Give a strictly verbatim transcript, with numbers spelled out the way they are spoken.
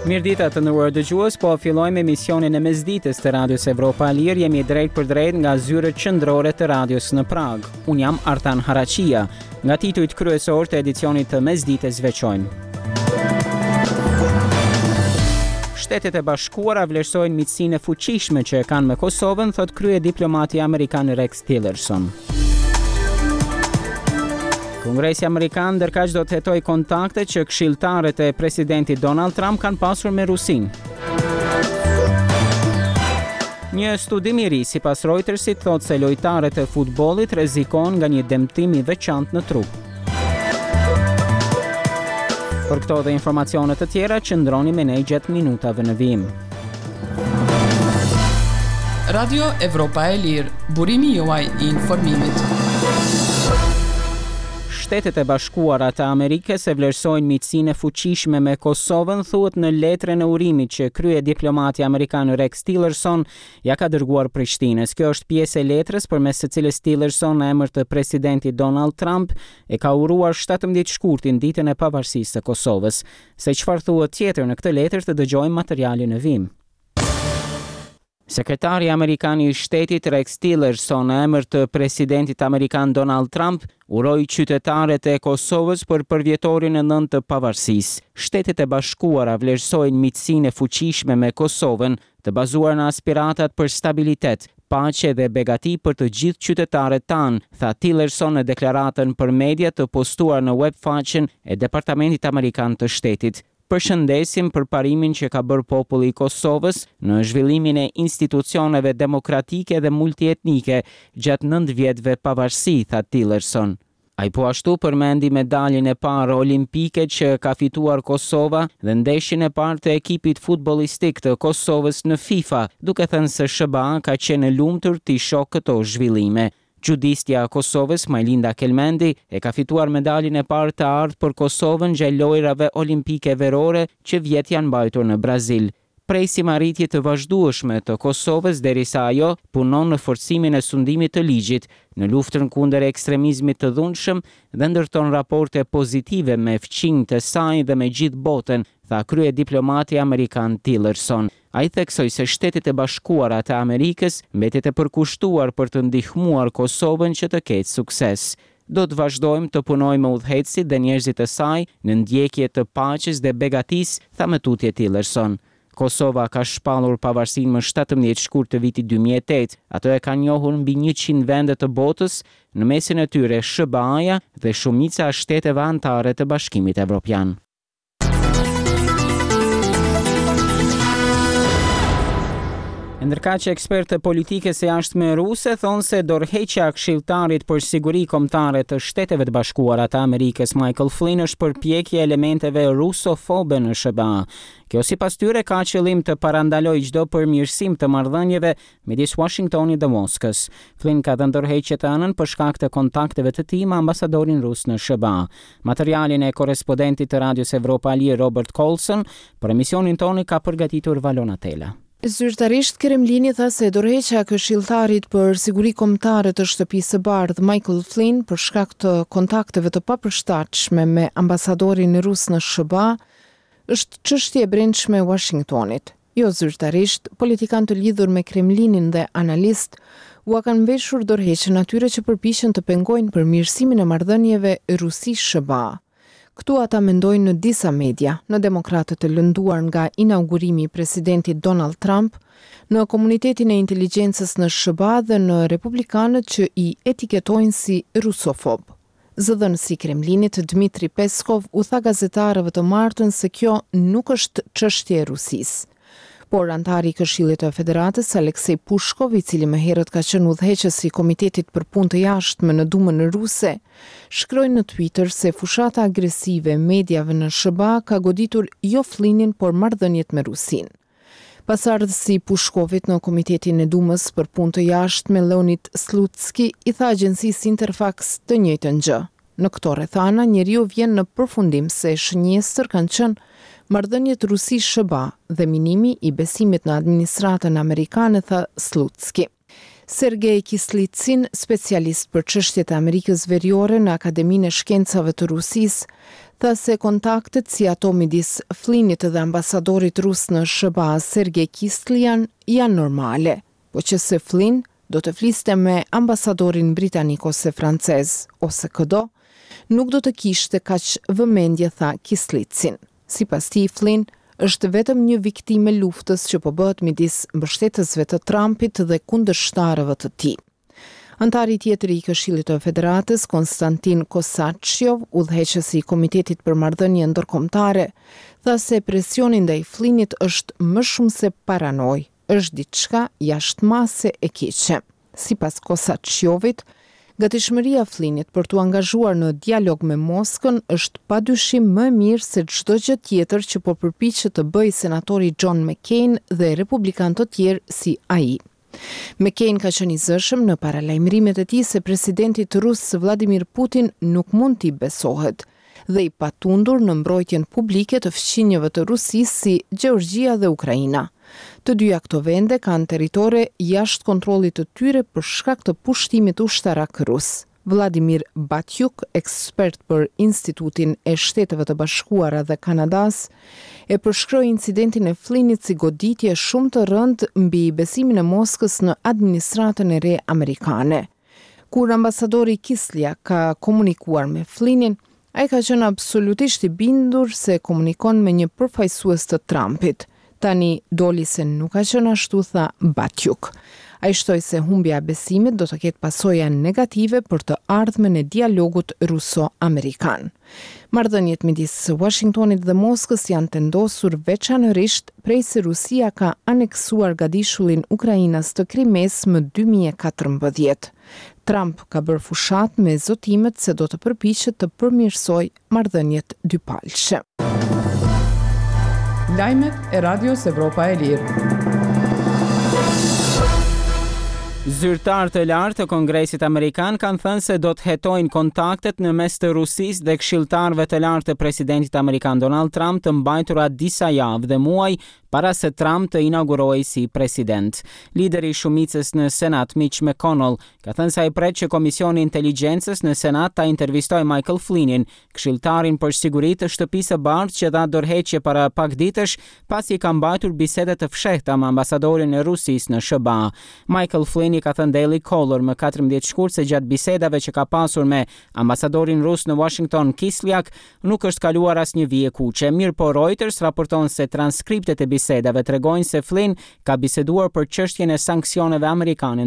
Mirëdita të nderuar dëgjues, po fillojmë emisionin e mesditës të Radios Evropa e Lirë. Jemi drejt për drejt nga zyrët qendrore të radios në Pragë. Unë jam Artan Haraqia. Nga titujt kryesor të edicionit të mesditës veçojmë. Shtetet e Bashkuara vlerësojnë miqësinë e fuqishme që e kanë me Kosovën, thotë kryediplomati amerikan Rex Tillerson. Kongresi Amerikan ndërkaq do të hetojë kontaktet që këshilltarët e presidentit Donald Trump kanë pasur me Rusinë. Një studim i ri sipas Reutersit thotë se lojtarët e futbollit rrezikon nga një dëmtim i veçantë në trup. Për këto dhe informacione të tjera, qëndroni me ne gjatë minutave në vijim. Radio Evropa e Lirë, burimi juaj i informimit. Shtetet e Bashkuara të Amerikës e vlerësojnë miqësinë e fuqishme me Kosovën, thuhet në letrën e urimit që kryediplomati amerikan Rex Tillerson ja ka dërguar Prishtinës. Kjo është pjesë e letrës përmes së cilës Tillerson në emër të presidentit Donald Trump e ka uruar shtatëmbëdhjetë shkurtin, ditën e pavarësisë së Kosovës. Se çfarë thuhet tjetër në këtë letër, të dëgjojmë materialin në vijim. Sekretari amerikan i shtetit Rex Tillerson në emër të presidentit amerikan Donald Trump uroi qytetarët e Kosovës për përvjetorin e nëntë të pavarësisë. Shtetet e Bashkuara vlerësojnë miqësinë e fuqishme me Kosovën, të bazuar në aspiratat për stabilitet, paqe dhe begati për të gjithë qytetarët tanë, tha Tillerson në deklaratën për media të postuar në webfaqen e Departamentit Amerikan të Shtetit. Përshëndesim për parimin që ka bërë populli i Kosovës në zhvillimin e institucioneve demokratike dhe multietnike gjatë nëntë vjetëve pavarësi, tha Tillerson. Ai po ashtu përmendi medaljen e parë olimpike që ka fituar Kosova dhe ndeshjen e parë të ekipit futbollistik të Kosovës në FIFA, duke thënë se S H B A ka qenë e lumtur t'i shohë këto zhvillime. Xhudistja e Kosovës, Majlinda Kelmendi, e ka fituar medaljen e parë të artë për Kosovën gjatë lojrave olimpike verore që vjet janë mbajtur në Brazil. Presim arritje të vazhdueshme të Kosovës derisa ajo punon në forcimin e sundimit të ligjit, në luftën kundër ekstremizmit të dhunshëm dhe ndërton raporte pozitive me fqinjët e saj dhe me gjithë botën, tha kryediplomati amerikan Tillerson. Ai theksoi se Shtetet e Bashkuara të Amerikës mbetet e përkushtuar për të ndihmuar Kosovën që të ketë sukses. Do të vazhdojmë të punojmë me udhëheqësit dhe njerëzit e saj në ndjekje të paqes dhe begatisë, tha më tutje Tillerson. Kosova ka shpallur pavarësinë më shtatëmbëdhjetë shkurt të vitit dy mijë e tetë. Ato e kanë njohur mbi njëqind vende të botës, në mesin e tyre S H B A-ja dhe shumica e shteteve anëtare të Bashkimit Evropian. Ndërkaq ekspertë të politikës së jashtme ruse thonë se dorëheqja e këshilltarit për siguri kombëtare të Shteteve të Bashkuara të Amerikës Michael Flynn është përpjekje e elementeve rusofobe në S H B A. Kjo sipas tyre ka qëllim të parandalojë çdo përmirësim të marrëdhënieve midis Washingtonit dhe Moskës. Flynn ka dhënë dorëheqje të hënën për shkak të kontakteve të tij me ambasadorin rus në S H B A. Materialin e korrespondentit të Radios Evropa e Lirë Robert Coulson për emisionin tonë ka përgatitur Valona Tela. Zyrtarisht Kremlini tha se dorëheqja e këshilltarit për siguri kombëtare të Shtëpisë së Bardhë Michael Flynn për shkak të kontakteve të papërshtatshme me ambasadorin rus në S H B A është çështje e brendshme e Washingtonit. Jo zyrtarisht, politikanë të lidhur me Kremlinin dhe analistë ua kanë mveshur dorëheqjen atyre që përpiqen të pengojnë përmirësimin e marrëdhënieve Rusi-S H B A. Këtu ata mendojnë në disa media, në demokratët e lënduar nga inaugurimi i presidentit Donald Trump, në komunitetin e inteligjencës në S H B A dhe në republikanët që i etiketojnë si rusofob. Zëdhënësi i Kremlinit Dmitri Peskov u tha gazetarëve të martën se kjo nuk është çështje e Rusisë. Por antari i Këshillit të Federatës Alexei Pushkov, i cili më herët ka qenë udhëheqës i Komitetit për Punë të Jashtme në Dumën Ruse, shkroi në Twitter se fushata agresive e mediave në S H B A ka goditur jo Flynnin, por marrëdhëniet me Rusinë. Pasardhësi i Pushkovit në Komitetin e Dumës për Punë të Jashtme Leonid Slutski i tha agjencisë Interfax të njëjtën gjë. Në këto rrethana, njeriu vjen në përfundim se shënjestër kanë qenë marrëdhëniet Rusi-S H B A dhe minimi i besimit në administratën amerikane, tha Slutski. Sergej Kislitsin, specialist për çështjet e Amerikës Veriore në Akademinë e Shkencave të Rusisë, tha se kontaktet si ato midis Flynnit dhe ambasadorit rus në S H B A, Sergej Kislyak, janë normale, po që se Flynn do të fliste me ambasadorin britanik ose francez, ose këdo, nuk do të kishte kaq vëmendje, tha Kislitsin. Sipas tij, Flynn është vetëm një viktimë e luftës që po bëhet midis mbështetësve të Trumpit dhe kundërshtarëve të tij. Antari tjetër i Këshillit të Federatës, Konstantin Kosachov, udhëheqës i Komitetit për Marrëdhënie Ndërkombëtare, tha se presioni ndaj Flynnit është më shumë se paranojë, është diçka jashtë mase e keqe. Sipas Kosachovit, gatishmëria e Flynnit për t'u angazhuar në dialog me Moskën është padyshim më e mirë se çdo gjë tjetër që po përpiqet të bëjë senatori John McCain dhe republikanë të tjerë si ai. McCain ka qenë i zëshëm në paralajmërimet e tij se presidentit rus Vladimir Putin nuk mund t'i besohet dhe i patundur në mbrojtjen publike të fqinjëve të Rusisë si Gjeorgjia dhe Ukraina. Të dyja këto vende kanë territore jashtë kontrollit të tyre për shkak të pushtimit ushtarak rus. Vladimir Batjuk, ekspert për Institutin e Shteteve të Bashkuara dhe Kanadas, e përshkroi incidentin e Flynnit si goditje shumë të rëndë mbi besimin e Moskës në administratën e re amerikane. Kur ambasadori Kislyak ka komunikuar me Flynnin, ai ka qenë absolutisht i bindur se komunikon me një përfaqësues të Trumpit. Tani doli se nuk ka qenë ashtu, tha Batjuk. Ai shtoi se humbja e besimit do të ketë pasoja negative për të ardhmen e dialogut ruso-amerikan. Marrëdhëniet midis Washingtonit dhe Moskës janë tendosur veçanërisht prej se Rusia ka aneksuar gadishullin ukrainas të Krimes më dy mijë e katërmbëdhjetë. Trump ka bërë fushatë me zotimet se do të përpiqet të përmirësojë marrëdhëniet dypalëshe. Lajmet e Radios Evropa e Lirë. Zyrtar të lartë të Kongresit Amerikan kanë thënë se do të hetojnë kontaktet në mes të Rusisë dhe këshilltarëve të lartë të presidentit amerikan Donald Trump të mbajtura disa javë dhe muaj para se Trump të inaugurohej si president. Lideri i shumicës në Senat, Mitch McConnell, ka thënë se ai pret që Komisioni i Inteligjencës në Senat ta intervistojë Michael Flynnin, këshilltarin për siguri të Shtëpisë së Bardhë që dha dorëheqje para pak ditësh pasi ka mbajtur biseda të fshehta me ambasadorin e Rusisë në S H B A. Michael Flynn i ka thënë Daily Caller më katërmbëdhjetë shkurt se gjatë bisedave që ka pasur me ambasadorin rus në Washington, Kislyak, nuk është kaluar asnjë vijë kuqe. Mirëpo Reuters raporton se transkriptet e bisedave tregojnë se Flynn ka biseduar për çështjen e sanksioneve amerikane.